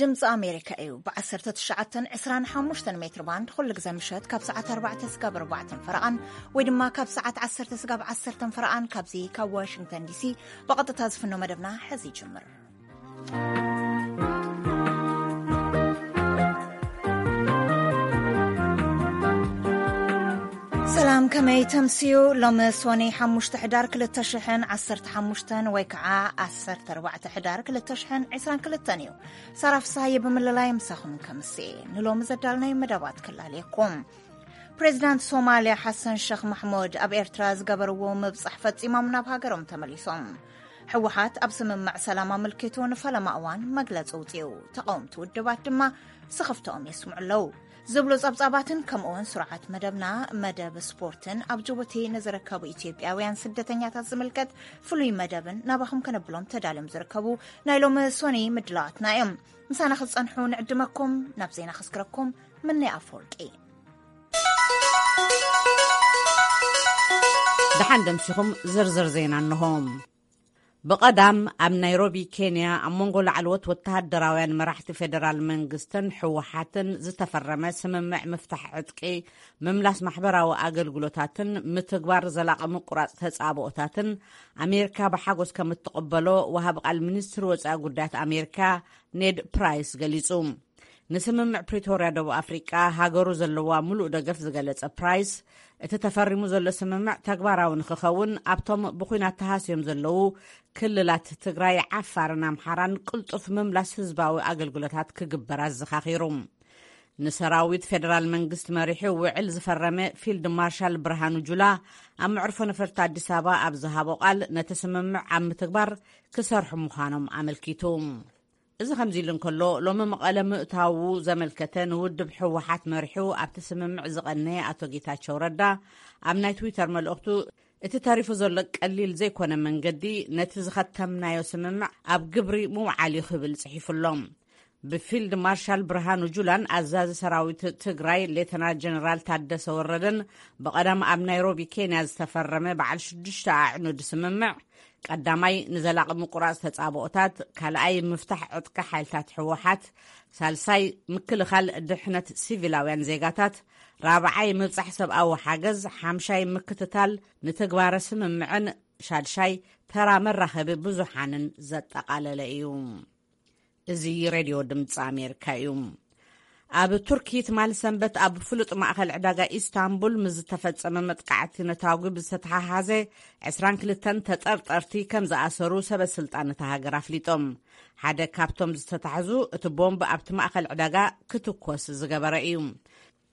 ድምፂ ኣሜሪካ እዩ። ብ19፣ 25 ሜትር ባንድ ኩሉ ግዜ ምሸት ካብ ሰዓት ኣርባዕተ ስጋብ ኣርባዕተን ፈረቓን፣ ወይ ድማ ካብ ሰዓት ዓሰርተ ስጋብ ዓሰርተን ፈረቓን፣ ካብዚ ካብ ዋሽንግተን ዲሲ ብቐጥታ ዝፍኖ መደብና ሕዚ ይጅምር። ሰላም፣ ከመይ ተምስዩ? ሎሚ ሶኒ ሓሙሽተ ሕዳር ክልተ ሽሕን ዓሰርተ ሓሙሽተን ወይ ከዓ ዓሰርተ ኣርባዕተ ሕዳር ክልተ ሽሕን ዕስራን ክልተን እዩ። ሳራ ፍስሃየ ብምልላይ ምሳኹም ከምስኤ ንሎሚ ዘዳልናይ መደባት ክላለየኩም። ፕሬዚዳንት ሶማልያ ሓሰን ሸኽ ማሕሙድ ኣብ ኤርትራ ዝገበርዎ ምብጻሕ ፈጺሞም ናብ ሃገሮም ተመሊሶም። ህወሓት ኣብ ስምምዕ ሰላም ኣመልኪቱ ንፈለማ እዋን መግለጺ ውጽኡ። ተቃወምቲ ውድባት ድማ ስኽፍተኦም የስምዑ ኣለዉ። ዝብሉ ጸብጻባትን ከምኡውን ስርዓት መደብና፣ መደብ ስፖርትን ኣብ ጅቡቲ ንዝርከቡ ኢትዮጵያውያን ስደተኛታት ዝምልከት ፍሉይ መደብን ናባኹም ከነብሎም ተዳልዮም ዝርከቡ ናይ ሎሚ ሶኒ ምድላዋትና እዮም። ምሳና ክትጸንሑ ንዕድመኩም። ናብ ዜና ከስክረኩም ምንይ ኣፈወርቂ። ደሓን ደምሲኹም ዝርዝር ዜና እንሆ። ብቐዳም ኣብ ናይሮቢ ኬንያ ኣብ መንጎ ላዕለዎት ወተሃደራውያን መራሕቲ ፌደራል መንግስትን ህወሓትን ዝተፈረመ ስምምዕ ምፍታሕ ዕጥቂ፣ ምምላስ ማሕበራዊ ኣገልግሎታትን ምትግባር ዘላቒ ምቁራጽ ተጻብኦታትን ኣሜሪካ ብሓጎስ ከም እትቕበሎ ወሃቢ ቃል ሚኒስትሪ ወጻኢ ጉዳያት ኣሜሪካ ኔድ ፕራይስ ገሊጹ። ንስምምዕ ፕሪቶርያ ደቡብ ኣፍሪቃ ሃገሩ ዘለዋ ምሉእ ደገፍ ዝገለጸ ፕራይስ፣ እቲ ተፈሪሙ ዘሎ ስምምዕ ተግባራዊ ንክኸውን ኣብቶም ብኲናት ተሃስዮም ዘለዉ ክልላት ትግራይ፣ ዓፋርን ኣምሓራን ቅልጡፍ ምምላስ ህዝባዊ ኣገልግሎታት ክግበር ኣዘኻኺሩ። ንሰራዊት ፌደራል መንግስቲ መሪሑ ውዕል ዝፈረመ ፊልድ ማርሻል ብርሃኑ ጁላ ኣብ መዕርፎ ነፈርቲ ኣዲስ ኣበባ ኣብ ዝሃቦ ቃል፣ ነቲ ስምምዕ ኣብ ምትግባር ክሰርሑ ምዃኖም ኣመልኪቱ። እዚ ከምዚ ኢሉ እንከሎ፣ ሎሚ መቐለ ምእታዉ ዘመልከተ ንውድብ ህወሓት መሪሑ ኣብቲ ስምምዕ ዝቐነየ ኣቶ ጌታቸው ረዳ ኣብ ናይ ትዊተር መልእኽቱ፣ እቲ ተሪፉ ዘሎ ቀሊል ዘይኮነ መንገዲ ነቲ ዝኸተምናዮ ስምምዕ ኣብ ግብሪ ምውዓል እዩ ክብል ጽሒፉ ኣሎ። ብፊልድ ማርሻል ብርሃኑ ጁላን ኣዛዚ ሰራዊት ትግራይ ሌተናል ጀነራል ታደሰ ወረደን ብቐዳም ኣብ ናይሮቢ ኬንያ ዝተፈረመ በዓል ሽዱሽተ ኣዕኑድ ስምምዕ፣ ቀዳማይ ንዘላቒ ምቁራጽ ተጻብኦታት፣ ካልኣይ ምፍታሕ ዕጥቂ ሓይልታት ህወሓት፣ ሳልሳይ ምክልኻል ድሕነት ሲቪላውያን ዜጋታት፣ ራብዓይ ምብጻሕ ሰብኣዊ ሓገዝ፣ ሓምሻይ ምክትታል ንትግባረ ስምምዕን ሻድሻይ ተራ መራኸቢ ብዙሓንን ዘጠቓለለ እዩ። እዚ ሬድዮ ድምፂ ኣሜሪካ እዩ። ኣብ ቱርኪ ትማሊ ሰንበት ኣብ ፍሉጥ ማእኸል ዕዳጋ ኢስታንቡል ምስ ዝተፈጸመ መጥቃዕቲ ነታጒ ብዝተተሓሓዘ ዕስራን ክልተን ተጠርጠርቲ ከም ዝኣሰሩ ሰበ ስልጣን እታ ሃገር ኣፍሊጦም። ሓደ ካብቶም ዝተታሕዙ እቲ ቦምብ ኣብቲ ማእኸል ዕዳጋ ክትኮስ ዝገበረ እዩ።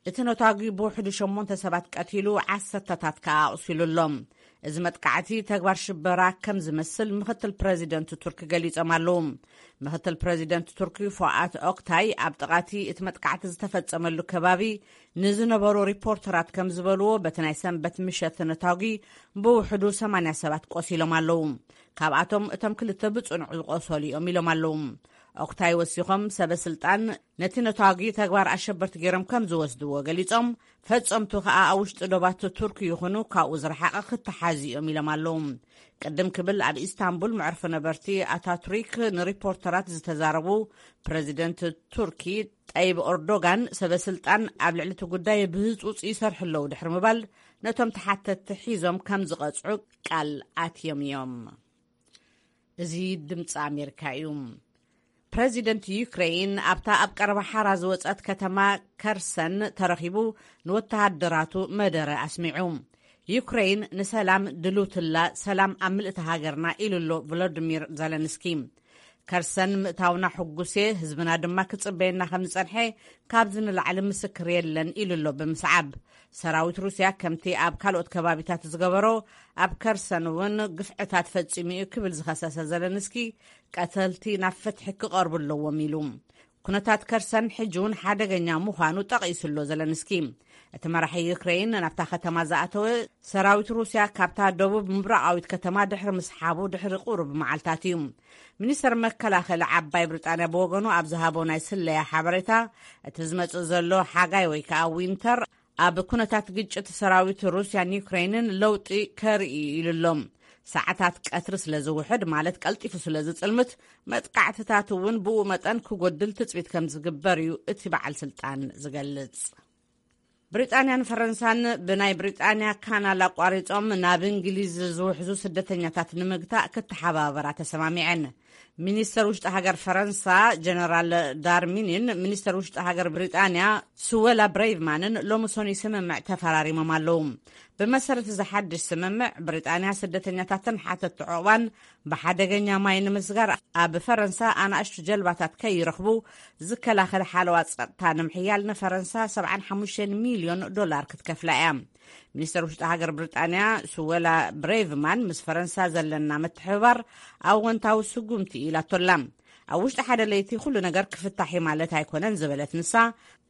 እቲ ነታጒ ብውሕዱ ሸሞንተ ሰባት ቀቲሉ፣ ዓሰርተታት ከኣ ኣቑሲሉ ኣሎ። እዚ መጥቃዕቲ ተግባር ሽበራ ከም ዝመስል ምኽትል ፕረዚደንት ቱርኪ ገሊጾም ኣለዉ። ምኽትል ፕረዚደንት ቱርኪ ፎኣት ኦክታይ ኣብ ጥቓቲ እቲ መጥቃዕቲ ዝተፈጸመሉ ከባቢ ንዝነበሩ ሪፖርተራት ከም ዝበልዎ፣ በቲ ናይ ሰንበት ምሸት ነታጒ ብውሕዱ ሰማንያ ሰባት ቆሲሎም ኣለዉ። ካብኣቶም እቶም ክልተ ብጽኑዕ ዝቆሰሉ እዮም ኢሎም ኣለዉ። ኦክታይ ወሲኾም፣ ሰበ ስልጣን ነቲ ነታጒ ተግባር ኣሸበርቲ ገይሮም ከም ዝወስድዎ ገሊጾም፣ ፈጸምቱ ከኣ ኣብ ውሽጢ ዶባት ቱርኪ ይኹኑ ካብኡ ዝረሓቐ ክተሓዙ እዮም ኢሎም ኣለዉ። ቅድም ክብል ኣብ ኢስታንቡል መዕርፎ ነበርቲ ኣታቱሪክ ንሪፖርተራት ዝተዛረቡ ፕረዚደንት ቱርኪ ጠይብ ኦርዶጋን፣ ሰበ ስልጣን ኣብ ልዕሊ እቲ ጉዳይ ብህጹጽ ይሰርሑ ኣለዉ ድሕሪ ምባል፣ ነቶም ተሓተትቲ ሒዞም ከም ዝቐጽዑ ቃል ኣትዮም እዮም። እዚ ድምፂ ኣሜሪካ እዩ። ፕረዚደንት ዩክሬን ኣብታ ኣብ ቀረባ ሓራ ዝወጸት ከተማ ከርሰን ተረኺቡ ንወተሃደራቱ መደረ ኣስሚዑ። ዩክሬን ንሰላም ድልውትላ፣ ሰላም ኣብ ምልእቲ ሃገርና ኢሉ ኣሎ ቮሎዲሚር ዘለንስኪ። ከርሰን ምእታውና ሕጉስ እየ፣ ህዝብና ድማ ክጽበየና ከም ዝጸንሐ ካብዚ ንላዕሊ ምስክር የለን ኢሉ ኣሎ ብምስዓብ። ሰራዊት ሩስያ ከምቲ ኣብ ካልኦት ከባቢታት ዝገበሮ ኣብ ከርሰን እውን ግፍዕታት ፈጺሙ እዩ ክብል ዝኸሰሰ ዘለንስኪ፣ ቀተልቲ ናብ ፍትሒ ክቐርቡ ኣለዎም ኢሉ። ኩነታት ከርሰን ሕጂ እውን ሓደገኛ ምዃኑ ጠቒሱ ኣሎ ዘለንስኪ። እቲ መራሒ ዩክሬን ናብታ ከተማ ዝኣተወ ሰራዊት ሩስያ ካብታ ደቡብ ምብራቓዊት ከተማ ድሕሪ ምስሓቡ ድሕሪ ቁሩብ መዓልታት እዩ። ሚኒስተር መከላኸሊ ዓባይ ብሪጣንያ ብወገኑ ኣብ ዝሃቦ ናይ ስለያ ሓበሬታ፣ እቲ ዝመጽእ ዘሎ ሓጋይ ወይ ከዓ ዊንተር ኣብ ኩነታት ግጭት ሰራዊት ሩስያን ዩክሬንን ለውጢ ከርኢ እዩ ኢሉ ኣሎ። ሰዓታት ቀትሪ ስለ ዝውሕድ፣ ማለት ቀልጢፉ ስለ ዝጽልምት፣ መጥቃዕትታት እውን ብኡ መጠን ክጎድል ትጽቢት ከም ዝግበር እዩ እቲ በዓል ስልጣን ዝገልጽ። ብሪጣንያን ፈረንሳን ብናይ ብሪጣንያ ካናል ኣቋሪጾም ናብ እንግሊዝ ዝውሕዙ ስደተኛታት ንምግታእ ክተሓባበራ ተሰማሚዐን። ሚኒስተር ውሽጢ ሃገር ፈረንሳ ጀነራል ዳርሚኒን ሚኒስተር ውሽጢ ሃገር ብሪጣንያ ስወላ ብሬቭማንን ሎሚ ሰኑይ ስምምዕ ተፈራሪሞም ኣለዉ። ብመሰረት እዚ ሓድሽ ስምምዕ፣ ብሪጣንያ ስደተኛታትን ሓተቲ ዑቕባን ብሓደገኛ ማይ ንምስጋር ኣብ ፈረንሳ ኣናእሽቱ ጀልባታት ከይረኽቡ ዝከላኸል ሓለዋ ጸጥታ ንምሕያል ንፈረንሳ ሰብዓን ሓሙሽተን ሚልዮን ዶላር ክትከፍላ እያ። ሚኒስተር ውሽጢ ሃገር ብሪጣንያ ስወላ ብሬቭማን ምስ ፈረንሳ ዘለና ምትሕብባር ኣወንታዊ ስጉምቲ ኢላቶላ። ኣብ ውሽጢ ሓደ ለይቲ ኩሉ ነገር ክፍታሕ እዩ ማለት ኣይኮነን ዝበለት ንሳ፣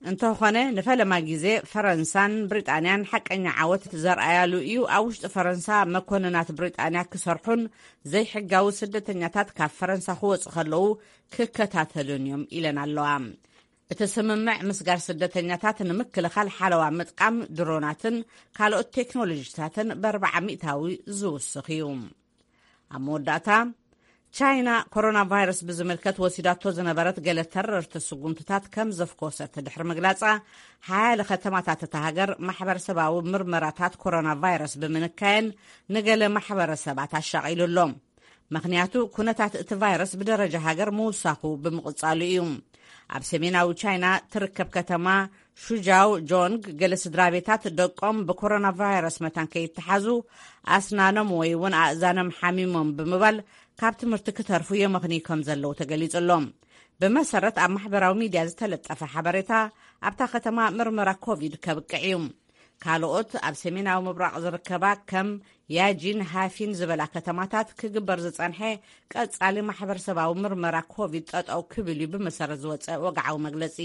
እንተኾነ ንፈለማ ግዜ ፈረንሳን ብሪጣንያን ሓቀኛ ዓወት ዘርኣያሉ እዩ። ኣብ ውሽጢ ፈረንሳ መኮንናት ብሪጣንያ ክሰርሑን ዘይሕጋዊ ስደተኛታት ካብ ፈረንሳ ክወፁ ከለዉ ክከታተሉን እዮም ኢለን ኣለዋ። እቲ ስምምዕ ምስጋር ስደተኛታት ንምክልኻል ሓለዋ ምጥቃም ድሮናትን ካልኦት ቴክኖሎጂታትን ብኣርባዓ ሚእታዊ ዝውስኽ እዩ። ኣብ መወዳእታ፣ ቻይና ኮሮና ቫይረስ ብዝምልከት ወሲዳቶ ዝነበረት ገለ ተረርቲ ስጉምትታት ከም ዘፍኮሰት ድሕሪ ምግላጻ፣ ሓያለ ከተማታት እታ ሃገር ማሕበረሰባዊ ምርመራታት ኮሮና ቫይረስ ብምንካየን ንገለ ማሕበረሰባት ኣሻቒሉ ኣሎ። ምኽንያቱ፣ ኩነታት እቲ ቫይረስ ብደረጃ ሃገር ምውሳኹ ብምቕጻሉ እዩ። ኣብ ሰሜናዊ ቻይና ትርከብ ከተማ ሹጃው ጆንግ፣ ገለ ስድራ ቤታት ደቆም ብኮሮና ቫይረስ መታን ከይተሓዙ ኣስናኖም ወይ እውን ኣእዛኖም ሓሚሞም ብምባል ካብ ትምህርቲ ክተርፉ የመኽንዩ ከም ዘለዉ ተገሊጹ ኣሎ። ብመሰረት ኣብ ማሕበራዊ ሚድያ ዝተለጠፈ ሓበሬታ፣ ኣብታ ከተማ ምርመራ ኮቪድ ከብቅዕ እዩ። ካልኦት ኣብ ሰሜናዊ ምብራቕ ዝርከባ ከም ያጂን ሃፊን ዝበላ ከተማታት ክግበር ዝጸንሐ ቀጻሊ ማሕበረሰባዊ ምርመራ ኮቪድ ጠጠው ክብል እዩ ብመሰረት ዝወጸ ወግዓዊ መግለጺ።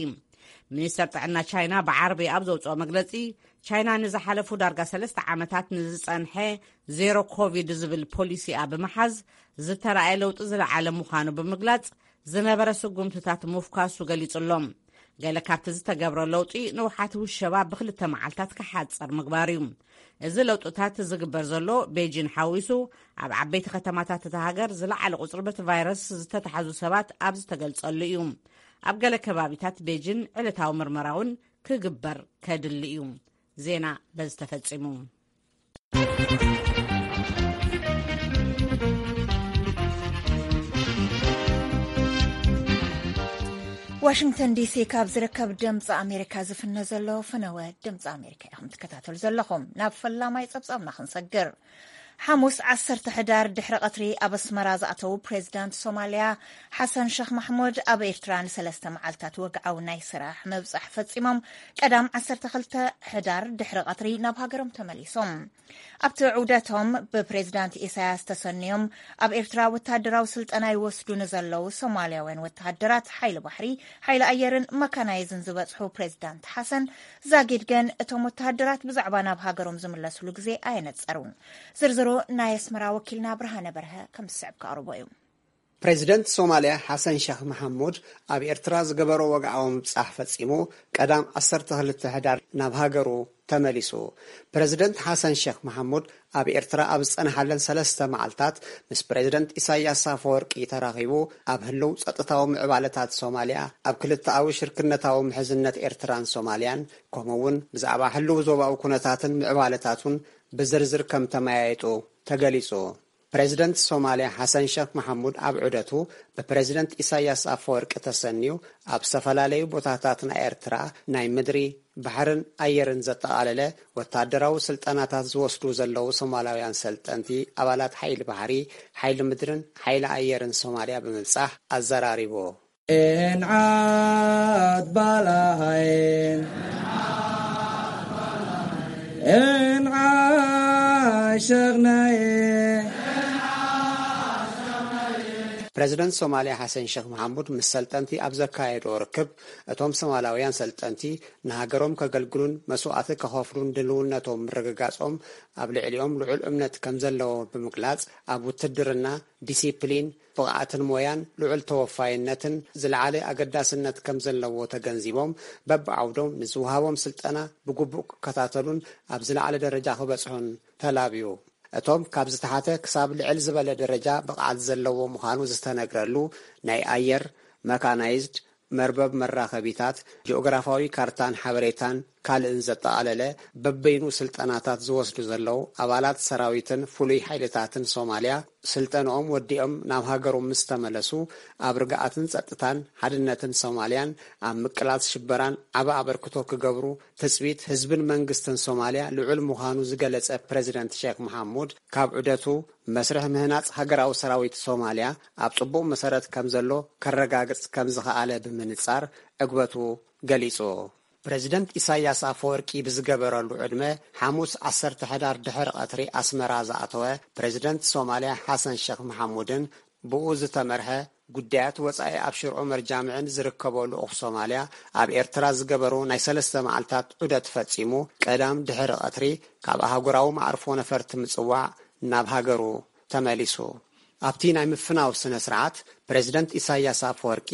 ሚኒስተር ጥዕና ቻይና ብዓርቢ ኣብ ዘውጽኦ መግለጺ፣ ቻይና ንዝሓለፉ ዳርጋ ሰለስተ ዓመታት ንዝጸንሐ ዜሮ ኮቪድ ዝብል ፖሊሲኣ ብምሓዝ ዝተራእየ ለውጢ ዝለዓለ ምዃኑ ብምግላጽ፣ ዝነበረ ስጉምትታት ምፍኳሱ ገሊጹ ኣሎ። ገለ ካብቲ ዝተገብረ ለውጢ ንውሓት ውሸባ ብክልተ መዓልታት ክሓጽር ምግባር እዩ። እዚ ለውጥታት ዝግበር ዘሎ ቤጂን ሓዊሱ ኣብ ዓበይቲ ከተማታት እታ ሃገር ዝለዓለ ቁጽሪ በቲ ቫይረስ ዝተታሕዙ ሰባት ኣብ ዝተገልጸሉ እዩ። ኣብ ገለ ከባቢታት ቤጂን ዕለታዊ ምርመራ እውን ክግበር ከድሊ እዩ። ዜና በዚ ተፈጺሙ። ዋሽንግተን ዲሲ ካብ ዝርከብ ድምፂ ኣሜሪካ ዝፍነ ዘሎ ፍነወ ድምፂ ኣሜሪካ ኢኹም ትከታተሉ ዘለኹም። ናብ ፈላማይ ፀብፃብና ክንሰግር። ሓሙስ ዓሰርተ ሕዳር ድሕሪ ቀትሪ ኣብ ኣስመራ ዝኣተዉ ፕሬዚዳንት ሶማልያ ሓሰን ሸኽ ማሕሙድ ኣብ ኤርትራ ንሰለስተ መዓልታት ወግዓዊ ናይ ስራሕ ምብጻሕ ፈጺሞም። ቀዳም ዓሰርተ ክልተ ሕዳር ድሕሪ ቀትሪ ናብ ሃገሮም ተመሊሶም። ኣብቲ ዑደቶም ብፕሬዚዳንት ኢሳያስ ተሰንዮም ኣብ ኤርትራ ወተሃደራዊ ስልጠና ይወስዱ ንዘለዉ ሶማልያውያን ወተሃደራት ሓይሊ ባሕሪ፣ ሓይሊ ኣየርን መካናይዝን ዝበጽሑ ፕሬዚዳንት ሓሰን ዛጊድ ግን እቶም ወተሃደራት ብዛዕባ ናብ ሃገሮም ዝምለስሉ ግዜ ኣየነጸሩን። ዝርዝሩ ናይ ኣስመራ ወኪልና ብርሃነ በርሀ ከም ዝስዕብ ከቕርቦ እዩ። ፕሬዚደንት ሶማልያ ሓሰን ሸኽ መሓሙድ ኣብ ኤርትራ ዝገበሮ ወግዓዊ ምብጻሕ ፈጺሙ ቀዳም ዓሰርተ ክልተ ሕዳር ናብ ሃገሩ ተመሊሱ። ፕሬዚደንት ሓሰን ሸኽ መሓሙድ ኣብ ኤርትራ ኣብ ዝጸንሓለን ሰለስተ መዓልታት ምስ ፕሬዚደንት ኢሳያስ ኣፈወርቂ ተራኺቡ ኣብ ህልው ጸጥታዊ ምዕባለታት ሶማልያ፣ ኣብ ክልተኣዊ ሽርክነታዊ ምሕዝነት ኤርትራን ሶማልያን፣ ከምኡ እውን ብዛዕባ ህልው ዞባዊ ኩነታትን ምዕባለታቱን ብዝርዝር ከም ተመያየጡ ተገሊጹ። ፕሬዚደንት ሶማልያ ሓሰን ሸኽ መሓሙድ ኣብ ዑደቱ ብፕሬዚደንት ኢሳያስ ኣፈወርቂ ተሰንዩ ኣብ ዝተፈላለዩ ቦታታት ናይ ኤርትራ ናይ ምድሪ፣ ባሕርን ኣየርን ዘጠቓለለ ወታደራዊ ስልጠናታት ዝወስዱ ዘለዉ ሶማላውያን ሰልጠንቲ ኣባላት ሓይሊ ባሕሪ፣ ሓይሊ ምድርን ሓይሊ ኣየርን ሶማልያ ብምብጻሕ ኣዘራሪቡ። እንዓት ባላሃይ፣ እንዓት ሸኽናይ። ፕረዚደንት ሶማልያ ሓሰን ሸኽ መሓሙድ ምስ ሰልጠንቲ ኣብ ዘካየዶ ርክብ፣ እቶም ሶማላውያን ሰልጠንቲ ንሃገሮም ከገልግሉን መስዋእቲ ከኸፍሉን ድልውነቶም ምርግጋጾም ኣብ ልዕሊኦም ልዑል እምነት ከም ዘለዎ ብምግላጽ፣ ኣብ ውትድርና ዲሲፕሊን፣ ብቕዓትን ሞያን ልዑል ተወፋይነትን ዝለዓለ ኣገዳስነት ከም ዘለዎ ተገንዚቦም፣ በብዓውዶም ንዝወሃቦም ስልጠና ብግቡእ ክከታተሉን ኣብ ዝለዓለ ደረጃ ክበጽሑን ተላብዩ። እቶም ካብ ዝተሓተ ክሳብ ልዕል ዝበለ ደረጃ ብቕዓት ዘለዎ ምዃኑ ዝተነግረሉ ናይ ኣየር፣ መካናይዝድ፣ መርበብ መራኸቢታት፣ ጂኦግራፋዊ ካርታን ሓበሬታን ካልእን ዘጠቓለለ በበይኑ ስልጠናታት ዝወስዱ ዘለዉ ኣባላት ሰራዊትን ፍሉይ ሓይልታትን ሶማልያ፣ ስልጠንኦም ወዲኦም ናብ ሃገሮም ምስ ተመለሱ፣ ኣብ ርግኣትን ጸጥታን ሓድነትን ሶማልያን ኣብ ምቅላስ ሽበራን ዓቢ ኣበርክቶ ክገብሩ ትጽቢት ህዝብን መንግስትን ሶማልያ ልዑል ምዃኑ ዝገለጸ ፕረዚደንት ሼክ መሓሙድ፣ ካብ ዑደቱ መስርሕ ምህናጽ ሃገራዊ ሰራዊት ሶማልያ ኣብ ጽቡቕ መሰረት ከም ዘሎ ከረጋግጽ ከም ዝኸኣለ ብምንጻር ዕግበቱ ገሊጹ። ፕረዚደንት ኢሳያስ ኣፈወርቂ ብዝገበረሉ ዕድመ፣ ሓሙስ ዓሰርተ ሕዳር ድሕሪ ቀትሪ ኣስመራ ዝኣተወ ፕረዚደንት ሶማልያ ሓሰን ሸኽ መሓሙድን ብኡ ዝተመርሐ ጉዳያት ወጻኢ ኣብ ሽርዑ መርጃምዕን ዝርከቦ ልኡኽ ሶማልያ፣ ኣብ ኤርትራ ዝገበሩ ናይ ሰለስተ መዓልታት ዑደት ፈጺሙ፣ ቀዳም ድሕሪ ቀትሪ ካብ ኣህጉራዊ መዓርፎ ነፈርቲ ምጽዋዕ ናብ ሃገሩ ተመሊሱ። ኣብቲ ናይ ምፍናው ስነ ስርዓት፣ ፕረዚደንት ኢሳያስ ኣፈወርቂ፣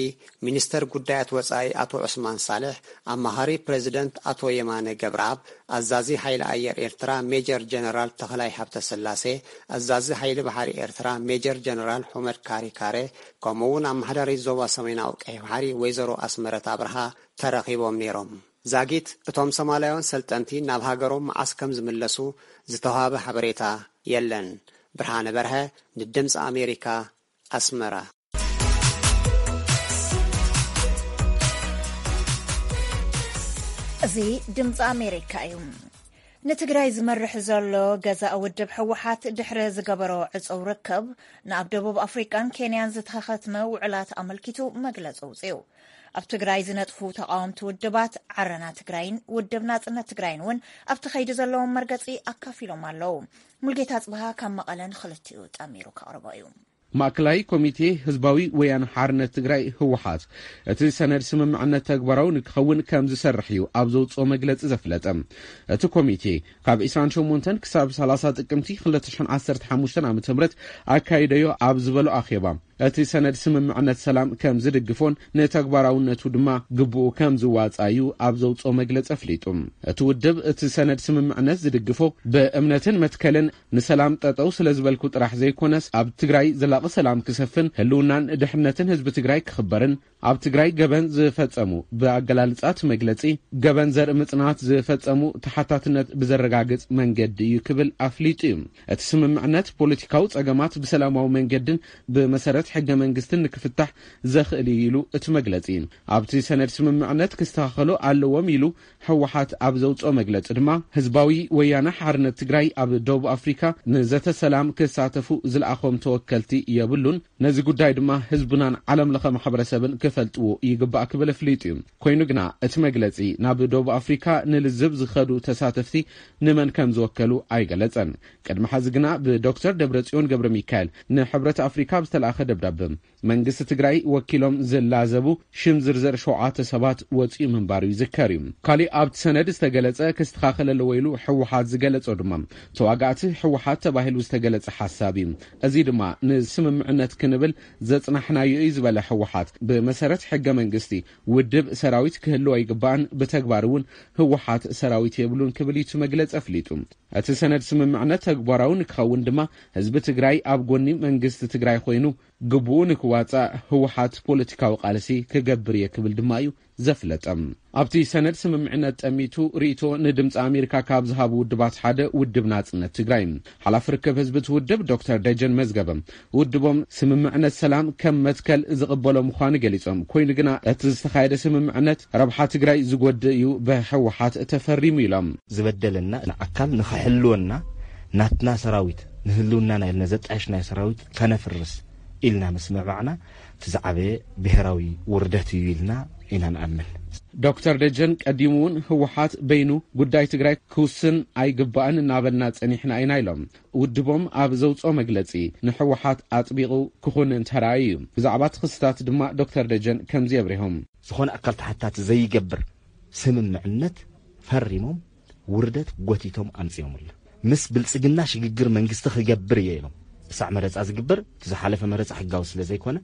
ሚኒስተር ጉዳያት ወጻኢ ኣቶ ዑስማን ሳልሕ፣ ኣማኻሪ ፕረዚደንት ኣቶ የማነ ገብረኣብ፣ ኣዛዚ ሓይሊ ኣየር ኤርትራ ሜጀር ጀነራል ተኽላይ ሃብተስላሴ፣ ኣዛዚ ሓይሊ ባሕሪ ኤርትራ ሜጀር ጀነራል ሑመድ ካሪካሬ፣ ከምኡ እውን ኣመሓዳሪት ዞባ ሰሜናዊ ቀይሕ ባሕሪ ወይዘሮ ኣስመረት ኣብርሃ ተረኺቦም ነይሮም። ዛጊት እቶም ሶማላውያን ሰልጠንቲ ናብ ሃገሮም መዓስ ከም ዝምለሱ ዝተዋህበ ሓበሬታ የለን። ብርሃነ በርሀ፣ ንድምፂ ኣሜሪካ፣ ኣስመራ። እዚ ድምፂ ኣሜሪካ እዩ። ንትግራይ ዝመርሕ ዘሎ ገዛእ ውድብ ህወሓት ድሕሪ ዝገበሮ ዕፁው ርክብ፣ ንኣብ ደቡብ ኣፍሪቃን ኬንያን ዝተኸትመ ውዕላት ኣመልኪቱ መግለፂ ኣውፂኡ። ኣብ ትግራይ ዝነጥፉ ተቓወምቲ ውድባት ዓረና ትግራይን ውድብ ናጽነት ትግራይን እውን ኣብቲ ከይዲ ዘለዎም መርገጺ ኣካፊሎም ኣለዉ። ሙልጌታ ጽብሃ ካብ መቐለ ንኽልቲኡ ጠሚሩ ከቕርቦ እዩ። ማእከላይ ኮሚቴ ህዝባዊ ወያነ ሓርነት ትግራይ፣ ህወሓት፣ እቲ ሰነድ ስምምዕነት ተግባራዊ ንክኸውን ከም ዝሰርሕ እዩ ኣብ ዘውፅኦ መግለፂ ዘፍለጠ። እቲ ኮሚቴ ካብ ዕስራን ሸሞንተን ክሳብ ሰላሳ ጥቅምቲ ክልተ ሽሕን ዓሰርተ ሓሙሽተን ዓመተ ምህረት ኣካይደዮ ኣብ ዝበሎ ኣኼባ፣ እቲ ሰነድ ስምምዕነት ሰላም ከም ዝድግፎን ንተግባራውነቱ ድማ ግቡኡ ከም ዝዋጻእ'ዩ ኣብ ዘውጽኦ መግለጺ ኣፍሊጡ። እቲ ውድብ እቲ ሰነድ ስምምዕነት ዝድግፎ ብእምነትን መትከልን ንሰላም ጠጠው ስለ ዝበልኩ ጥራሕ ዘይኮነስ፣ ኣብ ትግራይ ዘላቒ ሰላም ክሰፍን ህልውናን ድሕነትን ህዝቢ ትግራይ ክኽበርን፣ ኣብ ትግራይ ገበን ዝፈጸሙ፣ ብኣገላልጻ እቲ መግለጺ ገበን ዘርኢ ምጽናት ዝፈጸሙ ተሓታትነት ብዘረጋግጽ መንገዲ እዩ ክብል ኣፍሊጡ እዩ። እቲ ስምምዕነት ፖለቲካዊ ጸገማት ብሰላማዊ መንገድን ብመሰረት ሕገ መንግስትን ንክፍታሕ ዘኽእል እዩ ኢሉ እቲ መግለጺ። ኣብቲ ሰነድ ስምምዕነት ክስተኻኸሉ ኣለዎም ኢሉ ህወሓት ኣብ ዘውጽኦ መግለጺ ድማ፣ ህዝባዊ ወያነ ሓርነት ትግራይ ኣብ ደቡብ ኣፍሪካ ንዘተ ሰላም ክሳተፉ ዝለኣኾም ተወከልቲ የብሉን፣ ነዚ ጉዳይ ድማ ህዝብናን ዓለም ለኸ ማሕበረሰብን ክፈልጥዎ ይግባእ ክብል ኣፍሊጡ እዩ። ኮይኑ ግና እቲ መግለጺ ናብ ደቡብ ኣፍሪካ ንልዝብ ዝኸዱ ተሳተፍቲ ንመን ከም ዝወከሉ ኣይገለጸን። ቅድሚ ሐዚ ግና ብዶክተር ደብረጽዮን ገብረ ሚካኤል ንሕብረት ኣፍሪካ ብዝተለኣኸ ደብዳበ፣ መንግስቲ ትግራይ ወኪሎም ዝላዘቡ ሽም ዝርዝር ሸውዓተ ሰባት ወፂኡ ምንባሩ ይዝከር እዩ። ካሊእ ኣብቲ ሰነድ ዝተገለጸ ክስተኻኸል ኣለዎ ኢሉ ህወሓት ዝገለጾ ድማ፣ ተዋጋእቲ ህወሓት ተባሂሉ ዝተገለጸ ሓሳብ እዩ። እዚ ድማ ንስምምዕነት ክንብል ዘጽናሕናዮ እዩ ዝበለ ህወሓት፣ ብመሰረት ሕገ መንግስቲ ውድብ ሰራዊት ክህልዎ ኣይግባእን፣ ብተግባር እውን ህወሓት ሰራዊት የብሉን ክብል እዩ እቲ መግለጺ ኣፍሊጡ። እቲ ሰነድ ስምምዕነት ተግባራዊ ንክኸውን ድማ ህዝቢ ትግራይ ኣብ ጎኒ መንግስቲ ትግራይ ኮይኑ ግቡኡ ንክዋፃእ ህወሓት ፖለቲካዊ ቃልሲ ክገብር እየ ክብል ድማ እዩ ዘፍለጠ። ኣብቲ ሰነድ ስምምዕነት ጠሚቱ ርእይቶ ንድምፂ ኣሜሪካ ካብ ዝሃቡ ውድባት ሓደ ውድብ ናፅነት ትግራይ ሓላፊ ርክብ ህዝቢ እቲ ውድብ ዶክተር ደጀን መዝገበ፣ ውድቦም ስምምዕነት ሰላም ከም መትከል ዝቕበሎ ምዃኑ ገሊጾም፣ ኮይኑ ግና እቲ ዝተኻየደ ስምምዕነት ረብሓ ትግራይ ዝጎድእ እዩ፣ ብህወሓት ተፈሪሙ ኢሎም። ዝበደለና ንኣካል ንኽሕልወና ናትና ሰራዊት ንህልውናና ኢልና ዘጣየሽናዮ ሰራዊት ከነፍርስ ኢልና ምስ ምዕባዕና እቲ ዝዓበየ ብሄራዊ ውርደት እዩ ኢልና ኢና ንኣምን። ዶክተር ደጀን ቀዲሙ እውን ህወሓት በይኑ ጉዳይ ትግራይ ክውስን ኣይግባእን እናበልና ጸኒሕና ኢና ኢሎም። ውድቦም ኣብ ዘውፅኦ መግለፂ ንህወሓት ኣጥቢቑ ክኹንን ተራእዩ እዩ። ብዛዕባ እቲ ክስታት ድማ ዶክተር ደጀን ከምዚ ኣብሪሆም። ዝኾነ ኣካል ተሓታቲ ዘይገብር ስምምዕነት ፈሪሞም ውርደት ጎቲቶም ኣምፂኦምሉ። ምስ ብልፅግና ሽግግር መንግስቲ ክገብር እየ ኢሎም። እሳዕ መረፃ ዝግበር እቲ ዝሓለፈ መረፃ ሕጋዊ ስለ ዘይኮነ፣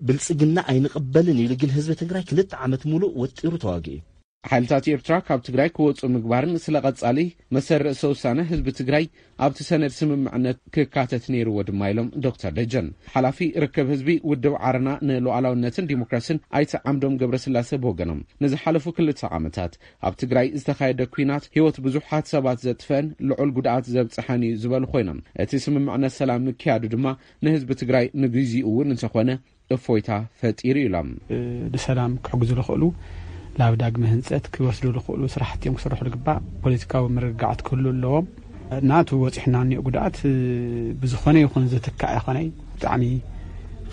ብልፅግና ኣይንቕበልን ኢሉ ግን ህዝቢ ትግራይ ክልተ ዓመት ሙሉእ ወጢሩ ተዋጊኡ እዩ። ሓይልታት ኤርትራ ካብ ትግራይ ክወፁ ምግባርን ስለ ቀጻሊ መሰል ርእሰ ውሳነ ህዝቢ ትግራይ ኣብቲ ሰነድ ስምምዕነት ክካተት ነይርዎ ድማ ኢሎም ዶክተር ደጀን። ሓላፊ ርክብ ህዝቢ ውድብ ዓረና ንሉዓላውነትን ዲሞክራሲን ኣይተ ዓምዶም ገብረስላሴ ብወገኖም፣ ንዝሓለፉ ክልተ ዓመታት ኣብ ትግራይ ዝተኻየደ ኲናት ህይወት ብዙሓት ሰባት ዘጥፈአን ልዑል ጉድኣት ዘብፅሐን እዩ ዝበሉ ኮይኖም፣ እቲ ስምምዕነት ሰላም ምክያዱ ድማ ንህዝቢ ትግራይ ንግዚኡ እውን እንተኾነ እፎይታ ፈጢሩ ኢሎም። ንሰላም ክሕግዙ ዝኽእሉ ናብ ዳግመ ህንፀት ክወስዱ ዝኽእሉ ስራሕቲ እዮም ክስርሑ ዝግባእ። ፖለቲካዊ ምርግጋዓት ክህሉ ኣለዎም። ናቱ በፂሑና እኒኦ ጉድኣት ብዝኾነ ይኹን ዝትካእ ኣይኮነይ። ብጣዕሚ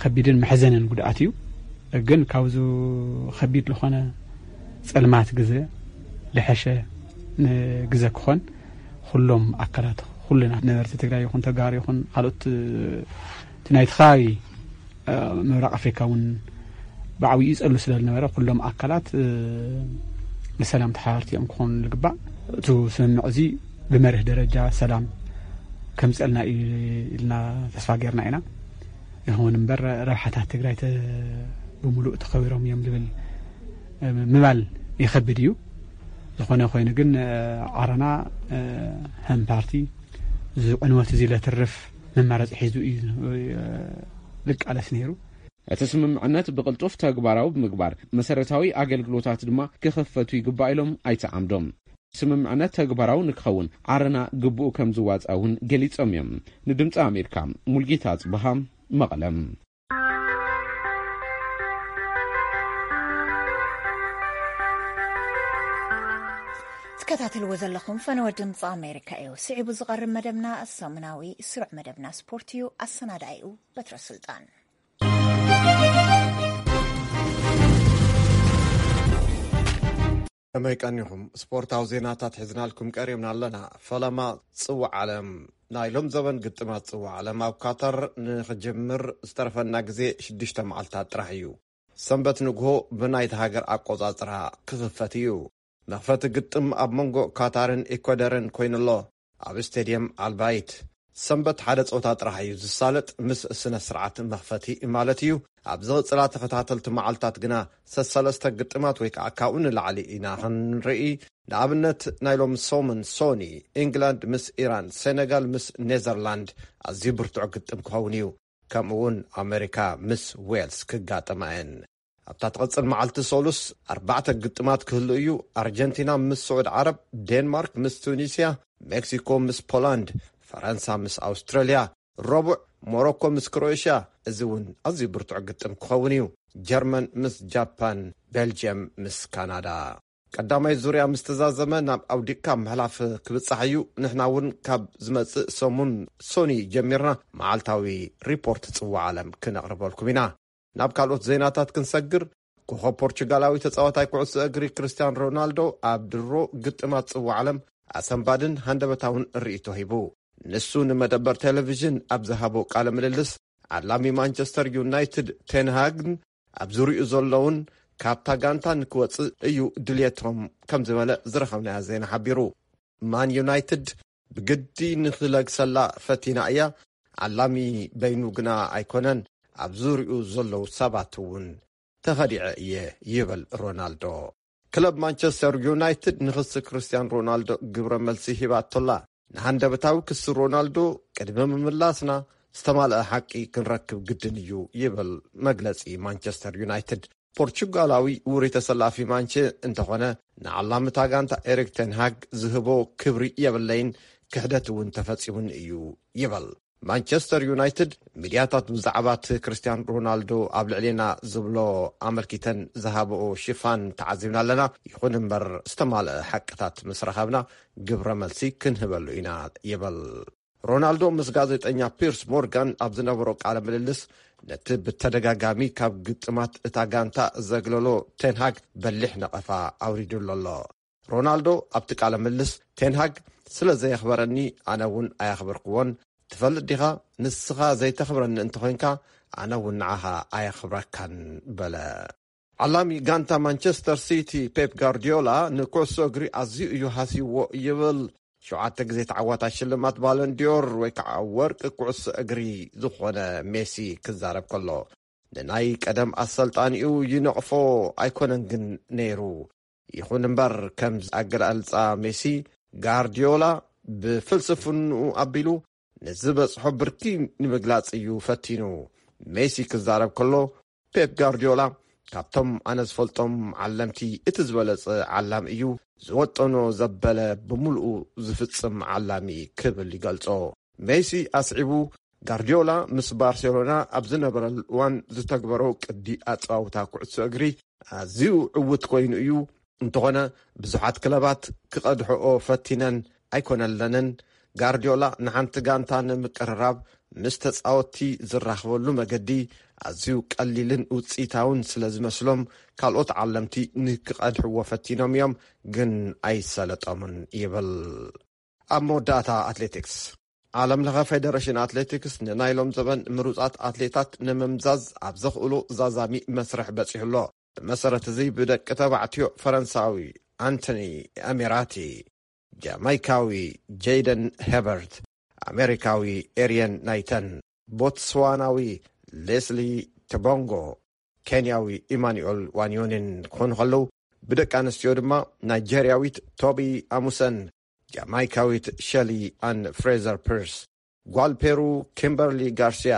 ከቢድን መሕዘንን ጉድኣት እዩ። ግን ካብዚ ከቢድ ዝኾነ ፀልማት ግዘ ዝሐሸ ግዘ ክኾን ኩሎም ኣካላት፣ ኩልና ነበርቲ ትግራይ ይኹን ተጋሩ ይኹን ካልኦት እቲ ናይቲ ከባቢ ምብራቕ ኣፍሪካ እውን ብዓብዩ ይፀሉ ስለ ዝነበረ ኩሎም ኣካላት ንሰላም ተሓባበርቲ እዮም ክኾኑ ዝግባእ። እቲ ስምምዕ እዚ ብመርህ ደረጃ ሰላም ከምፀልና እዩ ኢልና ተስፋ ጌርና ኢና። ይኹን እምበር ረብሓታት ትግራይ ተ- ብምሉእ ተኸቢሮም እዮም ዝብል ምባል ይኸብድ እዩ። ዝኾነ ኮይኑ ግን ዓረና ከም ፓርቲ እዚ ዕንወት እዚ ለትርፍ መማረፂ ሒዙ እዩ ዝቃለስ ነይሩ። እቲ ስምምዕነት ብቕልጡፍ ተግባራዊ ብምግባር መሰረታዊ ኣገልግሎታት ድማ ክኸፈቱ ይግባእ ኢሎም ኣይተ ዓምዶም። ስምምዕነት ተግባራዊ ንክኸውን ዓረና ግቡኡ ከም ዝዋፃእ እውን ገሊፆም እዮም። ንድምፂ ኣሜሪካ ሙልጌታ ኣፅበሃ መቐለም። ትከታተልዎ ዘለኹም ፈነወ ድምፂ ኣሜሪካ እዩ። ስዒቡ ዝቐርብ መደብና ሰሙናዊ ስሩዕ መደብና ስፖርት እዩ። ኣሰናዳኢኡ በትረ ስልጣን። ከመይ ቀኒኹም? ስፖርታዊ ዜናታት ሒዝናልኩም ቀሪብና ኣለና። ፈለማ ጽዋዕ ዓለም። ናይ ሎም ዘበን ግጥማት ጽዋዕ ዓለም ኣብ ካታር ንኽጅምር ዝተረፈና ግዜ ሽዱሽተ መዓልታት ጥራሕ እዩ። ሰንበት ንግሆ ብናይታ ሃገር ኣቆጻጽራ ክኽፈት እዩ። መኽፈቲ ግጥም ኣብ መንጎ ካታርን ኢኳደርን ኮይኑሎ። ኣብ ስቴድየም ኣልባይት ሰንበት ሓደ ጸወታ ጥራሕ እዩ ዝሳለጥ፣ ምስ ስነ ስርዓት መኽፈቲ ማለት እዩ። ኣብ ዝቕጽላ ተኸታተልቲ መዓልታት ግና ሰሰለስተ ግጥማት ወይ ከዓ ካብኡ ንላዕሊ ኢና ክንርኢ። ንኣብነት ናይ ሎም ሰሙን ሶኒ፣ ኢንግላንድ ምስ ኢራን፣ ሴነጋል ምስ ኔዘርላንድ ኣዝዩ ብርቱዕ ግጥም ክኸውን እዩ። ከምኡ እውን ኣሜሪካ ምስ ዌልስ ክጋጠማ እየን። ኣብታ ትቕጽል መዓልቲ ሰሉስ ኣርባዕተ ግጥማት ክህሉ እዩ። ኣርጀንቲና ምስ ስዑድ ዓረብ፣ ዴንማርክ ምስ ቱኒስያ፣ ሜክሲኮ ምስ ፖላንድ፣ ፈረንሳ ምስ ኣውስትራልያ፣ ረቡዕ ሞሮኮ ምስ ክሮኤሽያ። እዚ እውን ኣዝዩ ብርቱዕ ግጥም ክኸውን እዩ። ጀርመን ምስ ጃፓን፣ ቤልጅየም ምስ ካናዳ። ቀዳማይ ዙርያ ምስ ተዛዘመ ናብ ኣውዲቕካ ምሕላፍ ክብጻሕ እዩ። ንሕና እውን ካብ ዝመጽእ ሰሙን ሶኒ ጀሚርና መዓልታዊ ሪፖርት ጽዋዕ ዓለም ክነቕርበልኩም ኢና። ናብ ካልኦት ዜናታት ክንሰግር፣ ኮኸብ ፖርቹጋላዊ ተጻዋታይ ኩዕሶ እግሪ ክርስቲያን ሮናልዶ ኣብ ድሮ ግጥማት ጽዋዕ ዓለም ኣሰንባድን ሃንደበታውን ርእይቶ ሂቡ። ንሱ ንመደበር ቴሌቪዥን ኣብ ዝሃቦ ቃለ ምልልስ፣ ዓላሚ ማንቸስተር ዩናይትድ ቴንሃግን ኣብ ዙሪኡ ዘለውን ካብታ ጋንታ ንክወጽእ እዩ ድልየቶም ከም ዝበለ ዝረኸብናዮ ዜና ሓቢሩ። ማን ዩናይትድ ብግዲ ንኽለግሰላ ፈቲና እያ፣ ዓላሚ በይኑ ግና ኣይኮነን፣ ኣብ ዙሪኡ ዘለዉ ሰባት እውን ተኸዲዐ እየ ይብል ሮናልዶ። ክለብ ማንቸስተር ዩናይትድ ንክሲ ክርስቲያን ሮናልዶ ግብረ መልሲ ሂባቶላ። ንሃንደበታዊ ክሲ ሮናልዶ ቅድሚ ምምላስና ዝተማልአ ሓቂ ክንረክብ ግድን እዩ ይብል መግለጺ ማንቸስተር ዩናይትድ። ፖርቹጋላዊ ውሪ ተሰላፊ ማንቸ እንተኾነ ንዓላምታ ጋንታ ኤሪክ ቴንሃግ ዝህቦ ክብሪ የብለይን፣ ክሕደት እውን ተፈጺሙኒ እዩ ይብል። ማንቸስተር ዩናይትድ ሚድያታት ብዛዕባ እቲ ክርስቲያን ሮናልዶ ኣብ ልዕሌና ዝብሎ ኣመልኪተን ዝሃብኦ ሽፋን ተዓዚብና ኣለና። ይኹን እምበር ዝተማልአ ሓቅታት ምስ ረኸብና ግብረ መልሲ ክንህበሉ ኢና ይብል። ሮናልዶ ምስ ጋዜጠኛ ፒርስ ሞርጋን ኣብ ዝነበሮ ቃለ ምልልስ ነቲ ብተደጋጋሚ ካብ ግጥማት እታ ጋንታ ዘግለሎ ቴንሃግ በሊሕ ነቐፋ ኣውሪዱሉ ኣሎ። ሮናልዶ ኣብቲ ቃለ ምልልስ ቴንሃግ ስለ ዘየኽበረኒ ኣነ እውን ኣየኽበርክዎን፣ ትፈልጥ ዲኻ ንስኻ ዘይተኽብረኒ እንተኾይንካ ኣነ እውን ንዓኻ ኣየኽብረካን በለ። ዓላሚ ጋንታ ማንቸስተር ሲቲ ፔፕ ጋርዲዮላ ንኩዕሶ እግሪ ኣዝዩ እዩ ሃስይዎ ይብል። ሸውዓተ ግዜ ተዓዋታይ ሽልማት ባለንዲዮር ወይ ከዓ ወርቂ ኩዕሶ እግሪ ዝኾነ ሜሲ ክዛረብ ከሎ፣ ንናይ ቀደም ኣሰልጣኒኡ ይነቕፎ ኣይኮነን ግን ነይሩ። ይኹን እምበር፣ ከም ኣገላልጻ ሜሲ፣ ጋርዲዮላ ብፍልስፍንኡ ኣቢሉ ንዝበጽሖ ብርኪ ንምግላጽ እዩ ፈቲኑ። ሜሲ ክዛረብ ከሎ፣ ፔፕ ጋርዲዮላ ካብቶም ኣነ ዝፈልጦም ዓለምቲ እቲ ዝበለጸ ዓላሚ እዩ። ዝወጠኖ ዘበለ ብምሉኡ ዝፍጽም ዓላሚ ክብል ይገልጾ። ሜሲ ኣስዒቡ፣ ጋርዲዮላ ምስ ባርሴሎና ኣብ ዝነበረሉ እዋን ዝተግበሮ ቅዲ ኣጸዋውታ ኩዕሶ እግሪ ኣዝዩ ዕዉት ኮይኑ እዩ። እንተኾነ፣ ብዙሓት ክለባት ክቐድሕኦ ፈቲነን ኣይኮነለንን። ጋርዲዮላ ንሓንቲ ጋንታ ንምቅርራብ ምስ ተጻወትቲ ዝራኽበሉ መገዲ ኣዝዩ ቀሊልን ውጽኢታውን ስለ ዝመስሎም፣ ካልኦት ዓለምቲ ንክቐድሕዎ ፈቲኖም እዮም፣ ግን ኣይሰለጦምን ይብል። ኣብ መወዳእታ ኣትሌቲክስ። ዓለም ለኸ ፌደሬሽን ኣትሌቲክስ ንናይ ሎም ዘበን ምሩጻት ኣትሌታት ንምምዛዝ ኣብ ዘኽእሉ ዛዛሚ መስርሕ በጺሑ ኣሎ። ብመሰረት እዚ ብደቂ ተባዕትዮ ፈረንሳዊ ኣንቶኒ ኣሚራቲ፣ ጃማይካዊ ጄደን ሄበርት፣ ኣሜሪካዊ ኤሪየን ናይተን፣ ቦትስዋናዊ ሌስሊ ተቦንጎ፣ ኬንያዊ ኢማኑኤል ዋንዮኒን ክኾኑ ከለዉ፣ ብደቂ ኣንስትዮ ድማ ናይጀርያዊት ቶቢ ኣሙሰን፣ ጃማይካዊት ሸሊ ኣን ፍሬዘር ፒርስ፣ ጓል ፔሩ ኪምበርሊ ጋርሲያ፣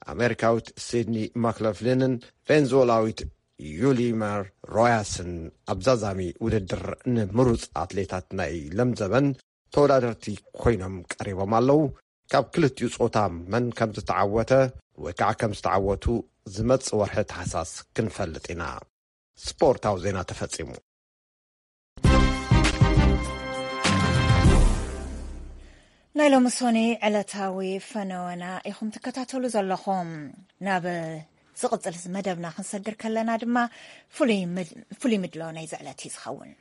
ኣሜሪካዊት ሲድኒ ማክሎፍሊንን ቬንዙዌላዊት ዩሊመር ሮያስን ኣብ ዛዛሚ ውድድር ንምሩፅ ኣትሌታት ናይ ለምዘበን ተወዳደርቲ ኮይኖም ቀሪቦም ኣለዉ። ካብ ክልቲኡ ጾታ መን ከም ዝተዓወተ ወይ ከዓ ከም ዝተዓወቱ ዝመጽእ ወርሒ ታሕሳስ ክንፈልጥ ኢና። ስፖርታዊ ዜና ተፈጺሙ። ናይ ሎሚ ሶኒ ዕለታዊ ፈነወና ኢኹም ትከታተሉ ዘለኹም። ናብ ዝቕጽል መደብና ክንሰግር ከለና ድማ ፍሉይ ምድ-፣ ፍሉይ ምድሎ ናይዚ ዕለት እዩ ዝኸውን።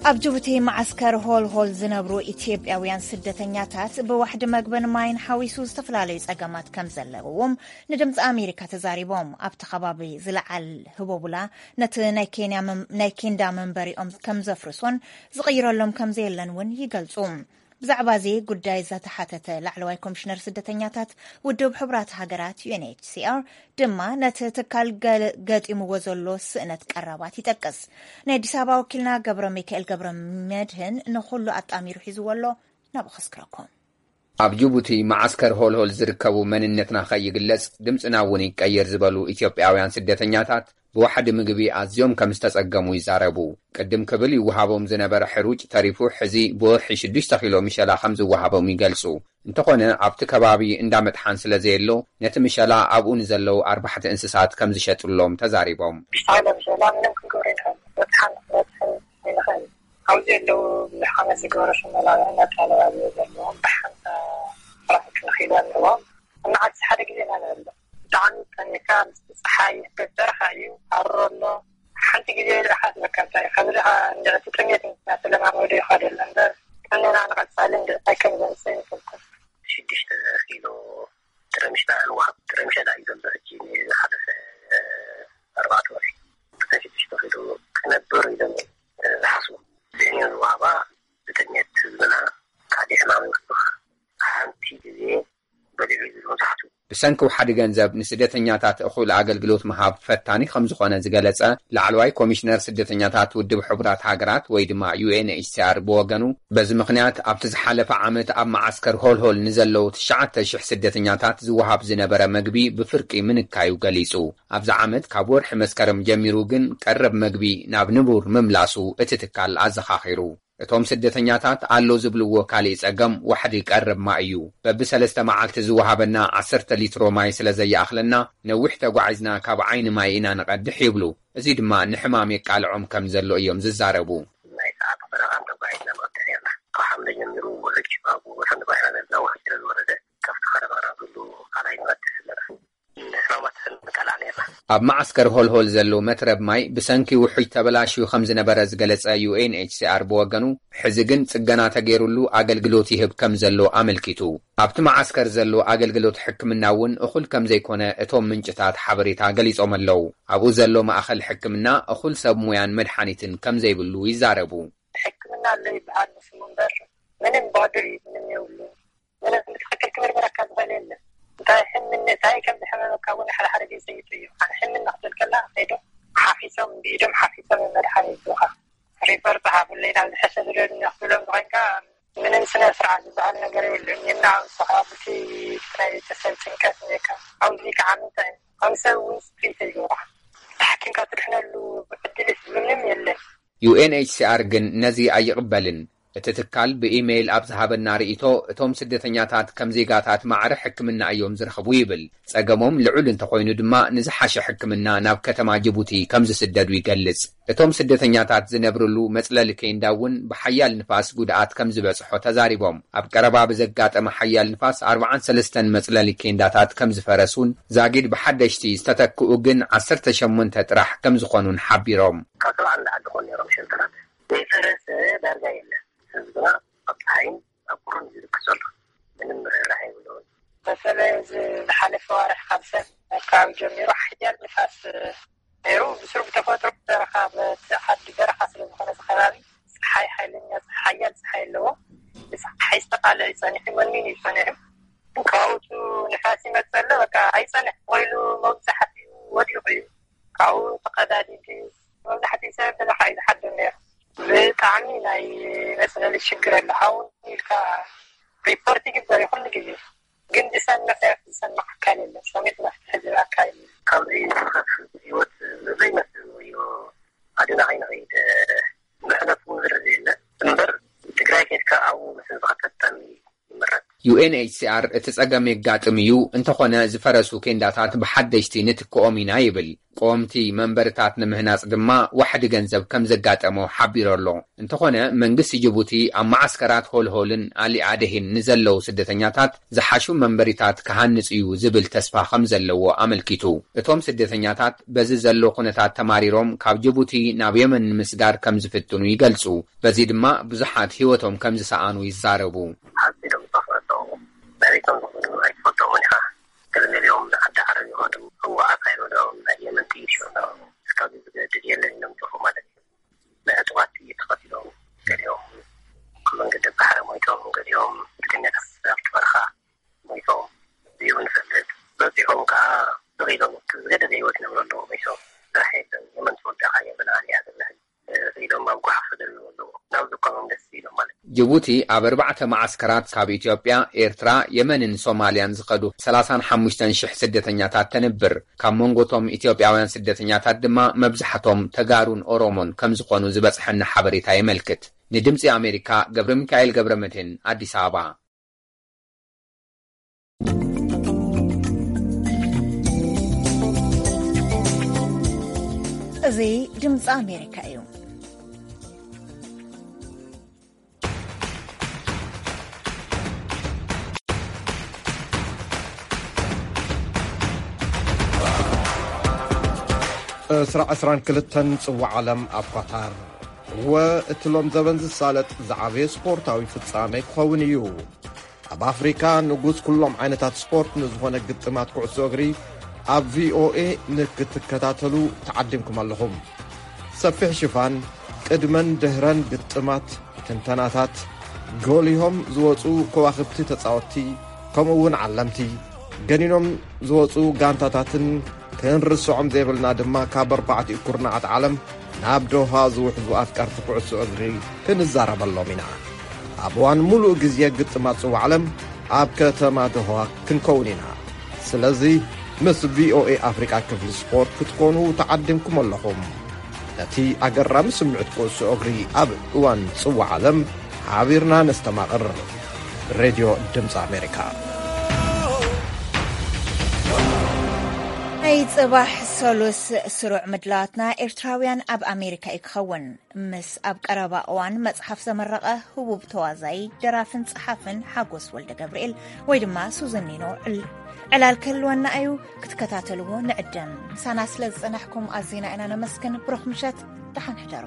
ኣብ ጅቡቲ መዓስከር ሆልሆል ዝነብሩ ኢትዮጵያውያን ስደተኛታት ብዋሕዲ መግብን ማይን ሓዊሱ ዝተፈላለዩ ጸገማት ከም ዘለውዎም ንድምፂ ኣሜሪካ ተዛሪቦም። ኣብቲ ከባቢ ዝለዓል ህቦቡላ ነቲ ናይ ኬንያ መም-፣ ናይ ኬንዳ መንበሪኦም ከም ዘፍርሶን ዝቕይረሎም ከም ዘየለን እውን ይገልጹ። ብዛዕባ እዚ ጉዳይ ዝተሓተተ ላዕለዋይ ኮሚሽነር ስደተኛታት ውድብ ሕቡራት ሃገራት ዩ ኤን ኤች ሲ ኣር ድማ ነቲ ትካል ገ-፣ ገጢምዎ ዘሎ ስእነት ቀረባት ይጠቅስ። ናይ ኣዲስ ኣበባ ወኪልና ገብረ ሚካኤል ገብረ መድህን ንኹሉ ኣጣሚሩ ሒዝዎ ኣሎ፣ ናብኡ ከስክረኩም። ኣብ ጅቡቲ መዓስከር ሆልሆል ዝርከቡ መንነትና ከይግለጽ ድምጽና እውን ይቀየር ዝበሉ ኢትዮጵያውያን ስደተኛታት ብዋሕዲ ምግቢ ኣዝዮም ከም ዝተጸገሙ ይዛረቡ። ቅድም ክብል ይወሃቦም ዝነበረ ሕሩጭ ተሪፉ ሕዚ ብወርሒ ሽዱሽተ ኪሎ ምሸላ ከም ዝወሃቦም ይገልጹ። እንተኾነ ኣብቲ ከባቢ እንዳ መጥሓን ስለ ዘየሎ ነቲ ምሸላ ኣብኡ ንዘለዉ ኣርባሕቲ እንስሳት ከም ዝሸጥሎም ተዛሪቦም። ብሽታ ምሸላ ምንም ክንገብሮ ይንኽእል። መጥሓን ክበጽሕን ኣይንኽእል። ኣብዚ ዘለዉ ብዙሕ ዓመት ዝገበሩ ሽመላ እናተባለ ኣብዚ ዘለዎም ብሓንሳ ኣርባዕተ ክንደይ ኪሎ ኣለዎም። እናዓድስ ሓደ ግዜ ኢና ንበልዕ። ብጣዕሚ ጠሚካ፣ ምስቲ ጸሓይ፣ በረኻ እዩ፣ ሃሩር ኣሎ። ሓንቲ ግዜ ድኣ ሓስበካ እንታይ እዩ፣ ካብዚ ድኣ እንድዕቲ ጥሜት እናተለማመዱ ይኸዱ ኣሎ እምበር፣ ጥዕናና ንቐጻሊ እንድዕቲ ኣይከም ዘምጽእ ይፈልኩ። ሽዱሽተ ኪሎ ጥረ ምሽላ ንወሃብ። ጥረ ምሸላ እዩ ዘሎ ሕጂ ንዝሓለፈ ኣርባዕተ ወርሒ። ጥረ ሽዱሽተ ኪሎ ክነብር ኢሎም ዝሓስቡ። ዘየን ዝወሃባ ብጥሜት ህዝብና ካሊእ ሕማም ይወስኽ። ሓንቲ ግዜ በሊዑ እዩ ዝብል መብዛሕትኡ። ብሰንኪ ውሓዲ ገንዘብ ንስደተኛታት እኹል ኣገልግሎት ምሃብ ፈታኒ ከም ዝኾነ ዝገለጸ ላዕለዋይ ኮሚሽነር ስደተኛታት ውድብ ሕቡራት ሃገራት ወይ ድማ ዩ ኤን ኤች ሲ ኣር ብወገኑ፣ በዚ ምኽንያት ኣብቲ ዝሓለፈ ዓመት ኣብ መዓስከር ሆልሆል ንዘለዉ ትሽዓተ ሽሕ ስደተኛታት ዝወሃብ ዝነበረ መግቢ ብፍርቂ ምንካዩ ገሊጹ። ኣብዚ ዓመት ካብ ወርሒ መስከረም ጀሚሩ ግን ቀረብ መግቢ ናብ ንቡር ምምላሱ እቲ ትካል ኣዘኻኺሩ። እቶም ስደተኛታት ኣሎ ዝብልዎ ካሊእ ጸገም ዋሕዲ ቀረብ ማይ እዩ። በብሰለስተ መዓልቲ ዝወሃበና ዓሰርተ ሊትሮ ማይ ስለ ዘየኣኽለና፣ ነዊሕ ተጓዒዝና ካብ ዓይኒ ማይ ኢና ንቐድሕ ይብሉ። እዚ ድማ ንሕማም የቃልዖም ከም ዘሎ እዮም ዝዛረቡ። ናይ ሰዓት በረኻ ተጓዒዝና ንቐድሕ ነርና። ካብ ሓምለ ጀሚሩ ውሕጅ ኣብ ወሰን ባሕሪ ነዛ ውሕጅ ስለ ዝወረደ፣ ካብቲ ከረባና ኩሉ ካልኣይ ንቐድሕ ኣለና። ንሕማማት ንቃላዕ ነርና። ኣብ መዓስከር ሆልሆል ዘሎ መትረብ ማይ ብሰንኪ ውሑጅ ተበላሽዩ ከም ዝነበረ ዝገለጸ ዩ ኤን ኤች ሲ ኣር ብወገኑ፣ ሕዚ ግን ጽገና ተገይሩሉ ኣገልግሎት ይህብ ከም ዘሎ ኣመልኪቱ። ኣብቲ መዓስከር ዘሎ ኣገልግሎት ሕክምና እውን እኹል ከም ዘይኮነ እቶም ምንጭታት ሓበሬታ ገሊጾም ኣለዉ። ኣብኡ ዘሎ ማእኸል ሕክምና እኹል ሰብ ሙያን መድሓኒትን ከም ዘይብሉ ይዛረቡ። ሕክምና ኣሎ ይበሃል ንስሙ እምበር ምንም ባዶ እዩ፣ ምንም የብሉ። ምንም ብትኽክል ክምርመረካ ዝኽእል የለን። እንታይ እንታይ ከም ዝሕመመካ እውን ሓደ ሓደ ግዜ ይጠይቁ። ኣነ ሕምም ክብል ከላ ከይዶም ሓፊሶም፣ ብኢዶም ሓፊሶም መድሓኒት ይህቡኻ። ሪፖርት ጸሓፉለይ ናብ ዝሕሸ ዝደልዩ ክትብሎም ኮይንካ፣ ምንም ስነ ስርዓት ዝበሃል ነገር የብሉን። እና ንስኻ ብቲ ናይ ቤተሰብ ጭንቀት እኒካ ኣብዚ ከዓ ምንታይ ከም ሰብ እውን ስፕሪት ይገብራ። ተሓኪምካ ትድሕነሉ ዕድልስ ምንም የለን። ዩ ኤን ኤች ሲ ኣር ግን ነዚ ኣይቕበልን። እቲ ትካል ብኢሜይል ኣብ ዝሃበና ርእይቶ፣ እቶም ስደተኛታት ከም ዜጋታት ማዕረ ሕክምና እዮም ዝረኽቡ ይብል። ጸገሞም ልዑል እንተኾይኑ ድማ፣ ንዝሓሸ ሕክምና ናብ ከተማ ጅቡቲ ከም ዝስደዱ ይገልጽ። እቶም ስደተኛታት ዝነብርሉ መጽለሊ ኬንዳ እውን ብሓያል ንፋስ ጉድኣት ከም ዝበጽሖ ተዛሪቦም። ኣብ ቀረባ ብዘጋጠመ ሓያል ንፋስ ኣርብዓን ሰለስተን መጽለሊ ኬንዳታት ከም ዝፈረሱን፣ ዛጊድ ብሓደሽቲ ዝተተክኡ ግን ዓሰርተ ሸሞንተ ጥራሕ ከም ዝኾኑን ሓቢሮም። ካብ ሰብዓ ንላዕሊ ዝኾኑ ነይሮም ሸልተራት። ዘይፈረሰ ዳርጋ የለን። ህዝብና ኣብ ፀሓይን ኣብ ቁርን እዩ ዝልክስ ዘሎ። ምንም ርህራሄ የብሉን። በተለይ እዚ ዝሓለፈ ዋርሕ ካብ ሰብ ኣካባቢ ጀሚሩ ሓያል ንፋስ ነይሩ። ብስሩ ብተፈጥሮ በረኻ፣ በቲ ዓዲ በረኻ ስለ ዝኾነ እዚ ከባቢ፣ ፀሓይ፣ ሓይለኛ ፀሓይ፣ ሓያል ፀሓይ ኣለዎ። ብፀሓይ ዝተቃልዐ እዩ ፀኒሑ፣ ወኒን እዩ ፀኒሑ። ካብኡ ንፋስ ይመፅእ ኣሎ፣ በቃ ኣይፀንሕ ኮይኑ መብዛሕትኡ ወዲቑ እዩ። ካብኡ ተቐዳዲዱ መብዛሕትኡ ሰብ በረኻ እዩ ዝሓድር ነይሩ። ብጣዕሚ ናይ መፅለሊ ሽግር ኣሎ። ሃውን ኢልካ ሪፖርት ይግበር እዩ ኩሉ ግዜ፣ ግን ዝሰምዕ ሰብ ዝሰምዕ ኣካል የለን። ሰሚዕ መፍትሒ ዝህብ ኣካል የለን። ካብዚ ዝኸፍእ ህይወት ዘይመስል ወዮ ኣድና ከይንኸይድ፣ መሕለፍ እውን ዝርእ የለን። እምበር ትግራይ ኬድካ ኣብኡ ምስንባር ተጠሚ ይምረፅ። ዩ ኤን ኤች ሲ ኣር እቲ ጸገም የጋጥም እዩ፣ እንተኾነ ዝፈረሱ ኬንዳታት ብሓደሽቲ ንትክኦም ኢና ይብል። ቆምቲ መንበርታት ንምህናጽ ድማ ዋሕዲ ገንዘብ ከም ዘጋጠሞ ሓቢሩ ኣሎ። እንተኾነ መንግስቲ ጅቡቲ ኣብ መዓስከራት ሆልሆልን ኣሊ ኣደሂን ንዘለዉ ስደተኛታት ዝሓሹ መንበሪታት ክሃንጽ እዩ ዝብል ተስፋ ከም ዘለዎ ኣመልኪቱ። እቶም ስደተኛታት በዚ ዘሎ ኩነታት ተማሪሮም ካብ ጅቡቲ ናብ የመን ንምስጋር ከም ዝፍትኑ ይገልጹ። በዚ ድማ ብዙሓት ህይወቶም ከም ዝሰኣኑ ይዛረቡ። ሓፂዶም ዝጠፍኡ ኣለዉ። መሬቶም ዝኹኑ ኣይትፈልጦምን ኢኻ። ገለ ገሊኦም ንዓዲ ዓረብ ይኸዱ። ህወሓት ኣይረድኦም፣ ናይ የመን ጥይት ይሸኑ። እስካብ ዝገድድ የለን ኢሎም ይጠፍኡ ማለት እዩ። ናይ ዕጡቓት ጥይት ተኸቲሎም ገሊኦም ኣብ መንገዲ ባሕሪ ሞይቶም፣ ገሊኦም ብድንገት ኣብቲ በረኻ ሞይቶም። እዚ እውን ንፈልጥ። በፂሖም ከዓ ስቕ ኢሎም እቲ ዝገደደ ህይወት ይነብሩ ኣለዉ። ሞይቶም ስራሕ የለን። የመን ተወዳእካ የመን ኣልያ ዝብሃል ኢሎም ኣብ ጓሓፍ ክደልዉ ኣለዉ። ናብ ዝኾኖም ደስ ኢሎም ማለት እዩ። ጅቡቲ ኣብ ኣርባዕተ መዓስከራት ካብ ኢትዮጵያ፣ ኤርትራ፣ የመንን ሶማልያን ዝኸዱ ሰላሳን ሓሙሽተን ሽሕ ስደተኛታት ተንብር። ካብ መንጎቶም ኢትዮጵያውያን ስደተኛታት ድማ መብዛሕቶም ተጋሩን ኦሮሞን ከም ዝኾኑ ዝበጽሐና ሓበሬታ የመልክት። ንድምጺ ኣሜሪካ ገብረ ሚካኤል ገብረ መድህን ኣዲስ ኣበባ። እዚ ድምፂ ኣሜሪካ እዩ። ዕስራ ዕስራን ክልተን ጽዋዕ ዓለም ኣብ ኳታር። እወ፣ እቲ ሎም ዘበን ዝሳለጥ ዝዓበየ ስፖርታዊ ፍጻሜ ክኸውን እዩ። ኣብ ኣፍሪካ ንጉስ ኩሎም ዓይነታት ስፖርት ንዝኾነ ግጥማት ኩዕሶ እግሪ ኣብ ቪኦኤ ንክትከታተሉ ተዓዲምኩም ኣለኹም። ሰፊሕ ሽፋን፣ ቅድመን ድህረን ግጥማት፣ ትንተናታት፣ ጎሊሆም ዝወፁ ከዋኽብቲ ተፃወትቲ፣ ከምኡ እውን ዓለምቲ፣ ገኒኖም ዝወፁ ጋንታታትን ክንርስዖም ዘይብልና ድማ ካብ ኣርባዕቲኡ ኩርናዓት ዓለም ናብ ዶሃ ዝውሕዙ ኣፍቀርቲ ኩዕሶ እግሪ ክንዛረበሎም ኢና። ኣብ እዋን ሙሉእ ግዜ ግጥማት ጽዋዕ ዓለም ኣብ ከተማ ዶሃ ክንከውን ኢና። ስለዚ ምስ ቪኦኤ ኣፍሪቃ ክፍሊ ስፖርት ክትኮኑ ተዓዲምኩም ኣለኹም። ነቲ ኣገራሚ ስምዕት ኩዕሶ እግሪ ኣብ እዋን ጽዋዕ ዓለም ሓቢርና ነስተማቕር። ሬድዮ ድምፂ ኣሜሪካ። ናይ ጽባሕ ሰሉስ ስሩዕ ምድላዋትና ኤርትራውያን ኣብ ኣሜሪካ እዩ ክኸውን። ምስ ኣብ ቀረባ እዋን መጽሓፍ ዘመረቐ ህቡብ ተዋዛይ፣ ደራፍን ጸሓፍን ሓጎስ ወልደ ገብርኤል ወይ ድማ ሱዘኒኖ ዕል-፣ ዕላል ክህልወና እዩ። ክትከታተልዎ ንዕድም። ምሳና ስለ ዝጸናሕኩም ኣዚና ኢና ነመስግን። ብሩኽ ምሸት፣ ደሓን ሕደሩ።